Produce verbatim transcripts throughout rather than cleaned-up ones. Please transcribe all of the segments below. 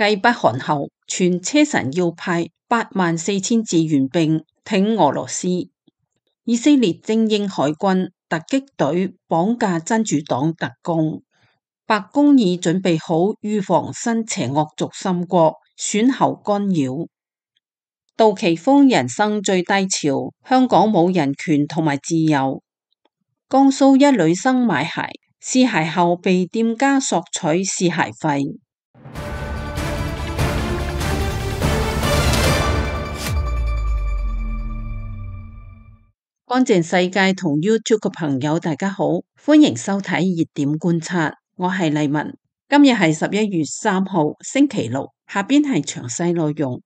繼北韓後，傳車臣要派八萬四千志願兵挺俄羅斯。以色列精英海軍突擊隊綁架真主黨特工。白宮已準備好預防新邪惡軸心國選後干擾。杜琪峰人生最低潮，香港冇人權同埋自由。江蘇一女生買鞋，試鞋後被店家索取試鞋費。乾淨世界同 YouTube 嘅朋友大家好，歡迎收睇熱點觀察，我係麗文。今日係十一月三號星期六，下邊係詳細內容。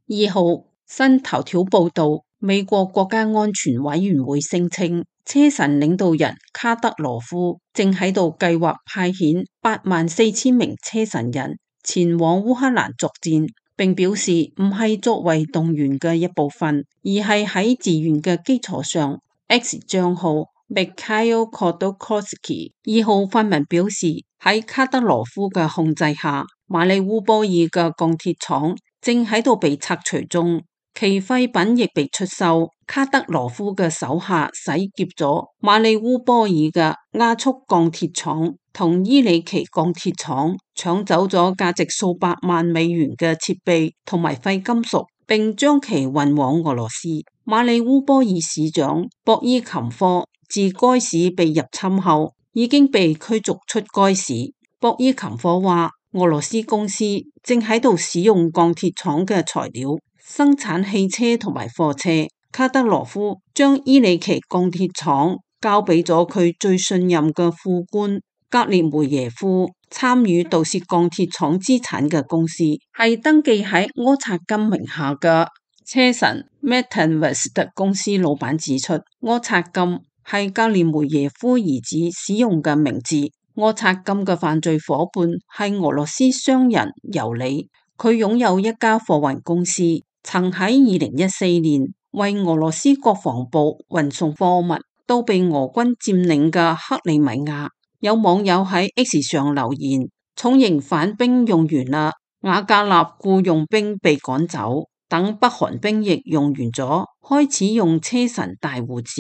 二號新頭條報道，美國國家安全委員會聲稱，車臣領導人卡德羅夫正喺度計劃派遣八萬四千名車臣人前往烏克蘭作戰，並表示唔係作為動員嘅一部分，而係喺自願嘅基礎上。X 賬號 Mikhail Khodorkovsky 二號發文表示，喺卡德羅夫嘅控制下，馬里烏波爾嘅鋼鐵廠正喺度被拆除中，其廢品亦被出售。卡德羅夫嘅手下洗劫咗馬里烏波爾嘅亞速鋼鐵廠同伊里奇鋼鐵廠，搶走咗價值數百萬美元嘅設備同埋廢金屬，並將其運往俄羅斯。馬里烏波爾市長博伊琴科自該市被入侵後已經被驅逐出該市。博伊琴科話，俄羅斯公司正喺度使用鋼鐵廠嘅材料生產汽車同埋貨車。卡德羅夫將伊里奇鋼鐵廠交俾咗佢最信任嘅副官格列梅耶夫。參與盜竊鋼鐵廠資產嘅公司係登記喺柯察金名下嘅車臣 Metinvest 公司。老闆指出，柯察金係格列梅耶夫兒子使用嘅名字。柯察金嘅犯罪夥伴係俄羅斯商人尤里，佢擁有一家貨運公司，曾喺二零一四年為俄羅斯國防部運送貨物到被俄軍佔領嘅克里米亞。有網友喺 X 上留言，重型反兵用完啦，瓦格納僱傭兵被趕走，等北韓兵役用完咗，開始用車臣大胡子。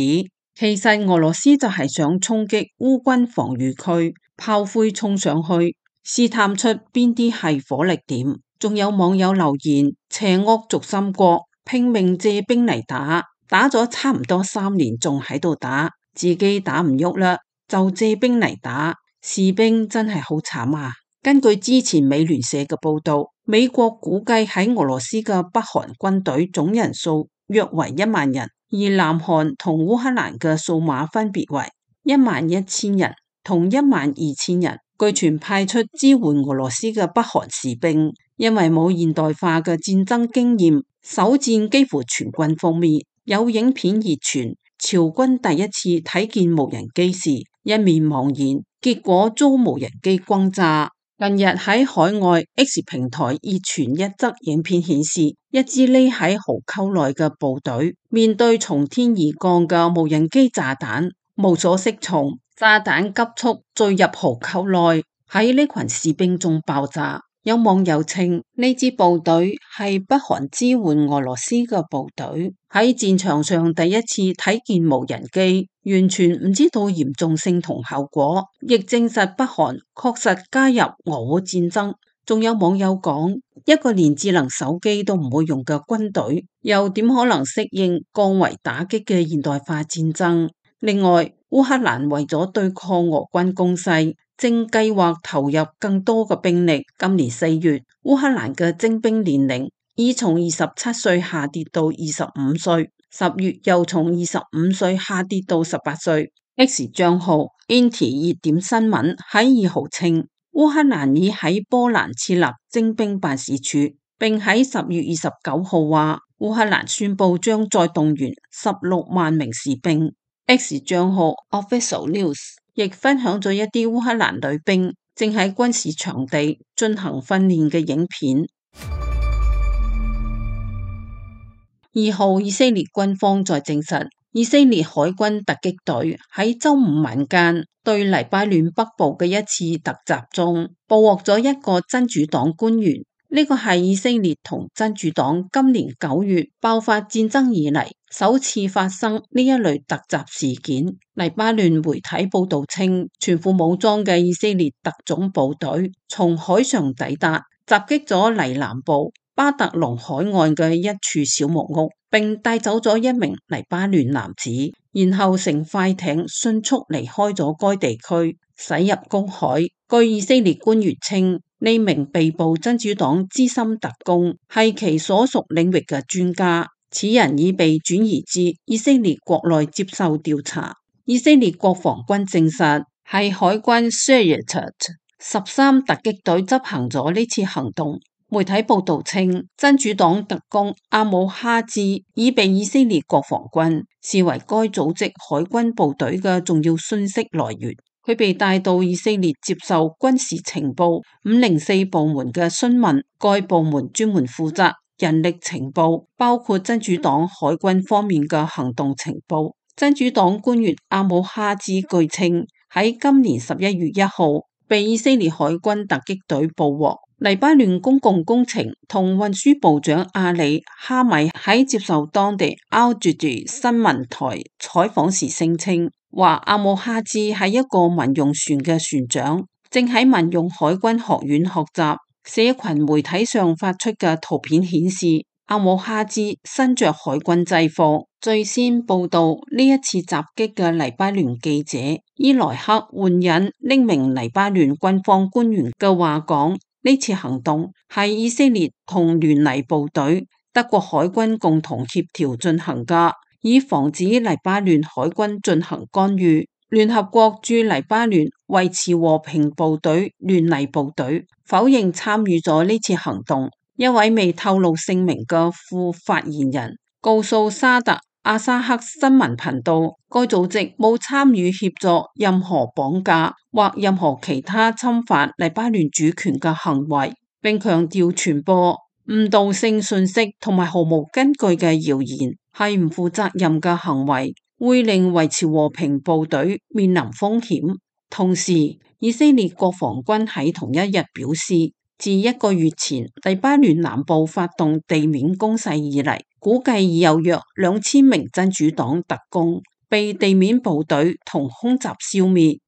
其實俄羅斯就係想衝擊烏軍防禦區，炮灰衝上去，試探出邊啲係火力點。仲有網友留言，邪惡軸心國拼命借兵嚟打，打咗差唔多三年，仲喺度打，自己打唔喐啦，就借兵嚟打，士兵真係好慘啊！根據之前美聯社嘅報道，美國估計喺俄羅斯嘅北韓軍隊總人數約為一萬人，而南韓同烏克蘭嘅數碼分別為一萬一千人同一萬二千人。據傳派出支援俄羅斯嘅北韓士兵，因為冇現代化嘅戰爭經驗，首戰幾乎全軍覆滅。有影片熱傳，朝軍第一次睇見無人機時一面茫然，結果遭無人機轟炸。近日喺海外 X 平台熱傳一則影片，顯示一支匿喺壕溝內嘅部隊面對從天而降嘅無人機炸彈，無所適從，炸彈急速墜入壕溝內，喺呢群士兵中爆炸。有網友稱呢支部隊係北韓支援俄羅斯嘅部隊，喺戰場上第一次睇見無人機，完全唔知道嚴重性同後果，亦證實北韓確實加入俄烏戰爭。仲有網友講，一個連智能手機都唔會用嘅軍隊，又點可能適應降維打擊嘅現代化戰爭？另外，烏克蘭為咗對抗俄軍攻勢，正計劃投入更多嘅兵力。今年四月，烏克蘭嘅徵兵年齡已從二十七歲下跌到二十五歲，十月又從二十五歲下跌到十八歲。X 賬號 Inti 熱點新聞喺二號稱，烏克蘭已喺波蘭設立徵兵辦事處，並喺十月二十九號話，烏克蘭宣布將再動員十六萬名士兵。X 賬號 Official News 亦分享咗一啲烏克蘭女兵正喺軍事場地進行訓練嘅影片。二號，以色列軍方再證實，以色列海軍突擊隊喺周五晚間對黎巴嫩北部嘅一次突襲中，捕獲咗一個真主黨官員。呢個係以色列同真主黨今年九月爆發戰爭以嚟首次發生呢一類突襲事件。黎巴嫩媒體報道稱，全副武裝嘅以色列特種部隊從海上抵達，襲擊咗黎南部巴特龍海岸嘅一處小木屋，並帶走咗一名黎巴嫩男子，然後乘快艇迅速離開咗該地區，駛入公海。據以色列官員稱，呢名被捕真主黨資深特工係其所屬領域嘅專家，此人已被轉移至以色列國內接受調查。以色列國防軍證實，係海軍 Shayetet 十三突擊隊執行咗呢次行動。媒體報道稱，真主黨特工阿姆哈茲已被以色列國防軍視為該組織海軍部隊嘅重要信息來源。佢被帶到以色列接受軍事情報五零四部門嘅詢問，該部門專門負責人力情報，包括真主黨海軍方面嘅行動情報。真主黨官員阿姆哈茲據稱，喺今年十一月一號被以色列海軍突擊隊捕獲。黎巴嫩公共工程同運輸部長阿里哈米喺接受當地 Al Jadid 新聞台採訪時聲稱，話阿姆哈茲係一個民用船嘅船長，正喺民用海軍學院學習。社群媒體上發出嘅圖片顯示，阿姆哈茲身着海軍制服。最先報道呢一次襲擊嘅黎巴嫩記者伊萊克援引匿名黎巴嫩軍方官員嘅話講，呢次行動係以色列同聯黎部隊、德國海軍共同協調進行㗎，以防止黎巴嫩海軍進行干預。聯合國駐黎巴嫩維持和平部隊聯黎部隊否認參與咗呢次行動。一位未透露姓名嘅副發言人告訴沙特阿沙克新聞頻道，該組織冇參與協助任何綁架或任何其他侵犯黎巴嫩主權嘅行為，並強調傳播誤導性信息同埋毫無根據嘅謠言係唔負責任嘅行為，會令維持和平部隊面臨風險。同時，以色列國防軍喺同一日表示，自一個月前黎巴嫩南部發動地面攻勢以嚟，估計已有約兩千名真主黨特工被地面部隊同空襲消滅。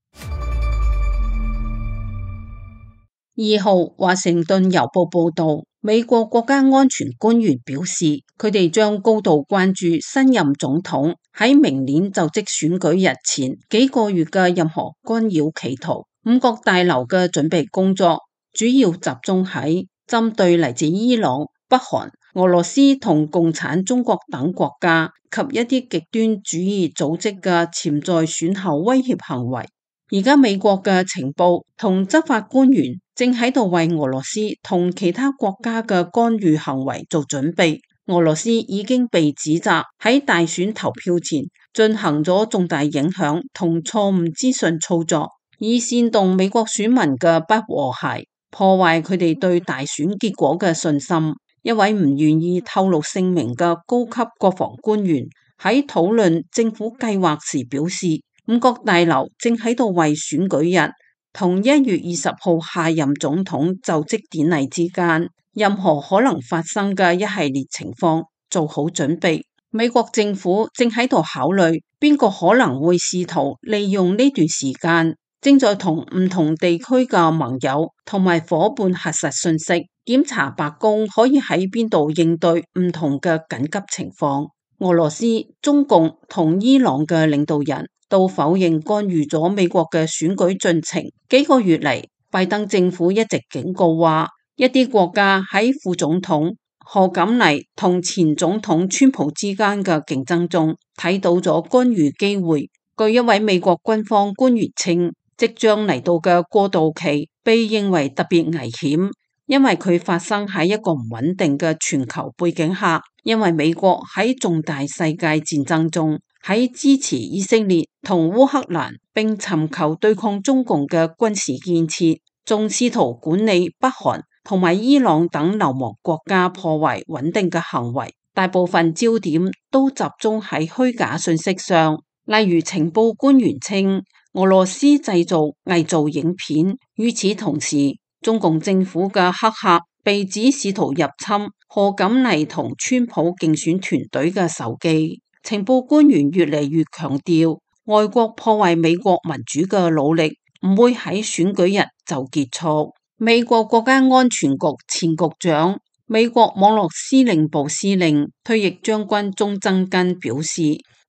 二號，華盛頓郵報報道，美國國家安全官員表示，佢哋將高度關注新任總統喺明年就職選舉日前幾個月嘅任何干擾企圖。五角大樓嘅準備工作主要集中喺針對嚟自伊朗、北韓、俄羅斯同共產中國等國家及一啲極端主義組織嘅潛在選後威脅行為。而家美國嘅情報同執法官員正喺度為俄羅斯同其他國家嘅干預行為做準備。俄羅斯已經被指責喺大選投票前進行咗重大影響同錯誤資訊操作，以煽動美國選民嘅不和諧，破壞佢哋對大選結果嘅信心。一位唔願意透露姓名嘅高級國防官員喺討論政府計劃時表示，五角大樓正喺度為選舉日同一月二十號下任總統就職典禮之間任何可能發生嘅一系列情況做好準備。美國政府正喺度考慮邊個可能會試圖利用呢段時間，正在同唔同地區嘅盟友同埋夥伴核實信息，檢查白宮可以喺邊度應對唔同嘅緊急情況。俄羅斯、中共同伊朗嘅領導人都否認干預咗美國嘅選舉進程。幾個月嚟，拜登政府一直警告話，一啲國家喺副總統賀錦麗同前總統川普之間嘅競爭中睇到咗干預機會。據一位美國軍方官員稱，即將嚟到嘅過渡期被認為特別危險，因為佢發生喺一個唔穩定嘅全球背景下，因為美國喺重大世界戰爭中喺支持以色列同烏克蘭，並尋求對抗中共嘅軍事建設，仲試圖管理北韓同埋伊朗等流亡國家破壞穩定嘅行為。大部分焦點都集中喺虛假信息上，例如情報官員稱俄羅斯製造偽造影片。與此同時，中共政府嘅黑客被指試圖入侵賀錦麗同川普競選團隊嘅手機。情報官員越嚟越強調，外國破壞美國民主嘅努力唔會喺選舉日就結束。美國國家安全局前局長、美國網絡司令部司令、退役將軍鐘增根表示，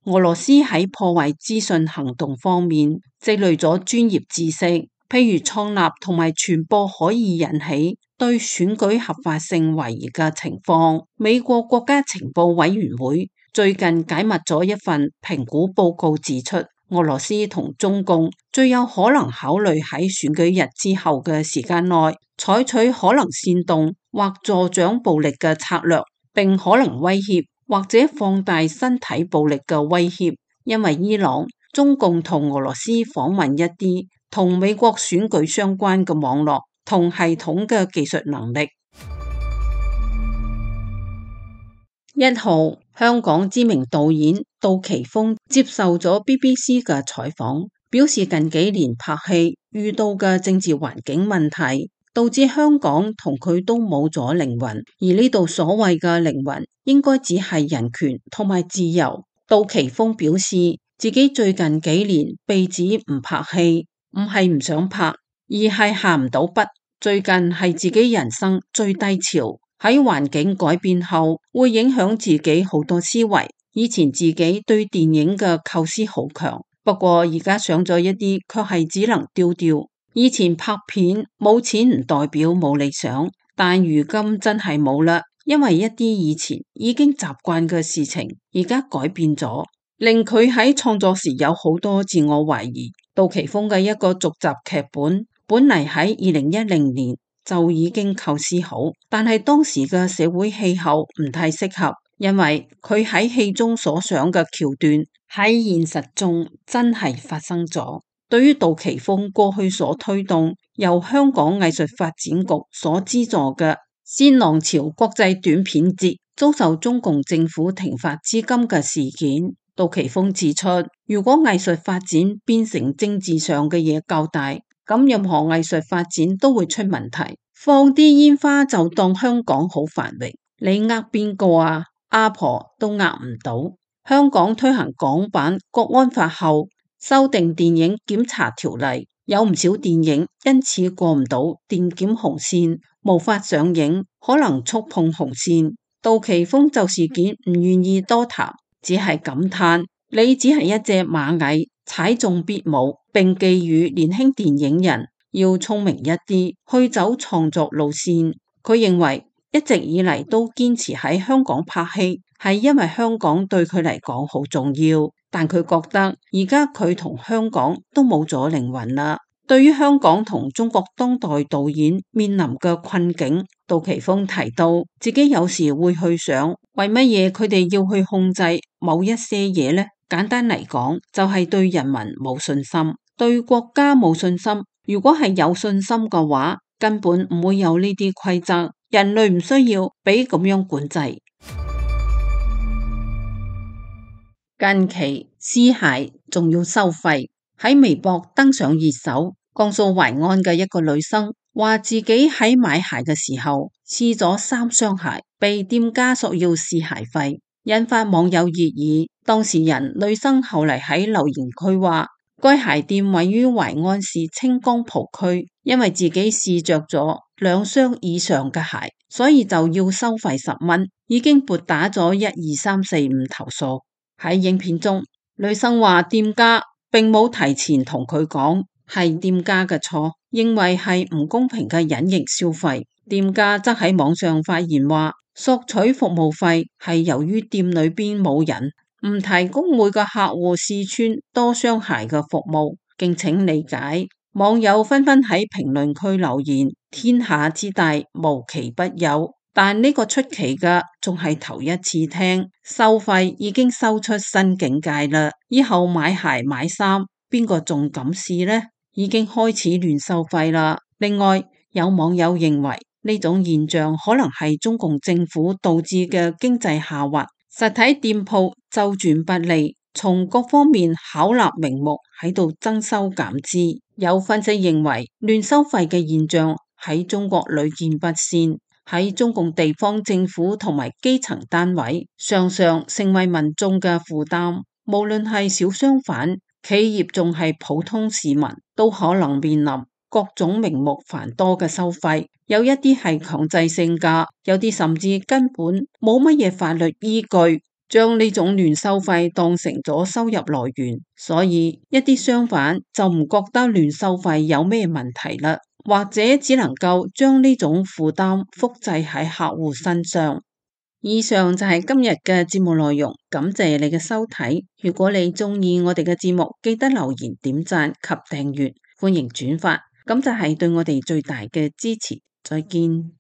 俄羅斯喺破壞資訊行動方面積累咗專業知識，譬如創立同埋傳播可以引起對選舉合法性懷疑嘅情況。美國國家情報委員會最近解密咗一份評估報告，指出俄羅斯同中共最有可能考慮喺選舉日之後嘅時間內採取可能煽動或助長暴力嘅策略，並可能威脅或者放大身體暴力嘅威脅。因為伊朗、中共同俄羅斯訪問一啲同美國選舉相關嘅網絡同系統嘅技術能力。一號，香港知名導演杜琪峰接受咗 B B C 嘅採訪，表示近幾年拍戲遇到嘅政治環境問題，導致香港同佢都冇咗靈魂，而呢度所謂嘅靈魂應該只係人權同埋自由。杜琪峰表示自己最近幾年被指唔拍戲，唔係唔想拍，而係下唔到筆。最近係自己人生最低潮，喺環境改變後會影響自己好多思維。以前自己對電影嘅構思好強，不過而家上咗一啲卻係只能丟掉。以前拍片冇錢唔代表冇理想，但如今真係冇啦，因為一啲以前已經習慣嘅事情而家改變咗，令佢喺創作時有好多自我懷疑。杜琪峰嘅一個續集劇本本嚟喺二零一零年就已經構思好，但係當時嘅社會氣候唔太適合，因為佢喺戲中所想嘅橋段喺現實中真係發生咗。對於杜琪峰過去所推動由香港藝術發展局所資助嘅鮮浪潮國際短片節遭受中共政府停發資金嘅事件，杜琪峰指出，如果藝術發展變成政治上嘅嘢較大，咁任何藝術發展都會出問題。放啲煙花就當香港好繁榮，你呃邊個啊？阿婆都呃唔到。香港推行港版國安法後，修訂電影檢查條例，有唔少電影因此過唔到電檢紅線，無法上映，可能觸碰紅線。杜琪峰就事件唔願意多談，只係感嘆你只係一隻螞蟻，踩中必舞，並寄語年輕電影人要聰明一啲，去走創作路線。佢認為一直以嚟都堅持喺香港拍戲，係因為香港對佢嚟講好重要。但佢覺得而家佢同香港都冇咗靈魂啦。對於香港同中國當代導演面臨嘅困境，杜琪峰提到自己有時會去想，為乜嘢佢哋要去控制某一些嘢呢？簡單嚟講，就係對人民冇信心，對國家冇信心。如果係有信心嘅話，根本唔會有呢啲規則，人類唔需要俾咁樣管制。近期屍骸仲要收費，喺微博登上熱搜。江蘇淮安嘅一個女生話自己喺買鞋嘅時候試咗三雙鞋，被店家索要試鞋費，引發網友熱議。當事人女生後嚟喺留言區話，該鞋店位於淮安市清江浦區，因為自己試着咗兩雙以上嘅鞋，所以就要收費十蚊，已經撥打咗一二三四五投訴。喺影片中，女生話店家並冇提前同佢講，係店家嘅錯，認為係唔公平嘅隱形消費。店家則喺網上發言話，索取服務費係由於店裏邊冇人，唔提供每個客戶試穿多雙鞋嘅服務，敬請理解。網友紛紛喺評論區留言，天下之大無奇不有，但呢個出奇嘅仲係頭一次聽，收費已經收出新境界啦。以後買鞋買衫，邊個仲敢試呢？已經開始亂收費啦。另外，有網友認為呢種現象可能係中共政府導致嘅經濟下滑，實體店鋪周轉不利，從各方面巧立名目喺度增收減支。有分析認為，亂收費嘅現象喺中國屢見不鮮。喺中共地方政府同埋基層單位，常常成為民眾嘅負擔。無論係小商販、企業，仲係普通市民，都可能面臨各種名目繁多嘅收費。有一啲係強制性㗎，有啲甚至根本冇乜嘢法律依據，將呢種亂收費當成咗收入來源。所以一啲商販就唔覺得亂收費有咩問題啦，或者只能夠將呢種負擔複製喺客戶身上。以上就係今日嘅節目內容，感謝你嘅收睇。如果你鍾意我哋嘅節目，記得留言、點讚及訂閱，歡迎轉發，咁就係對我哋最大嘅支持。再見。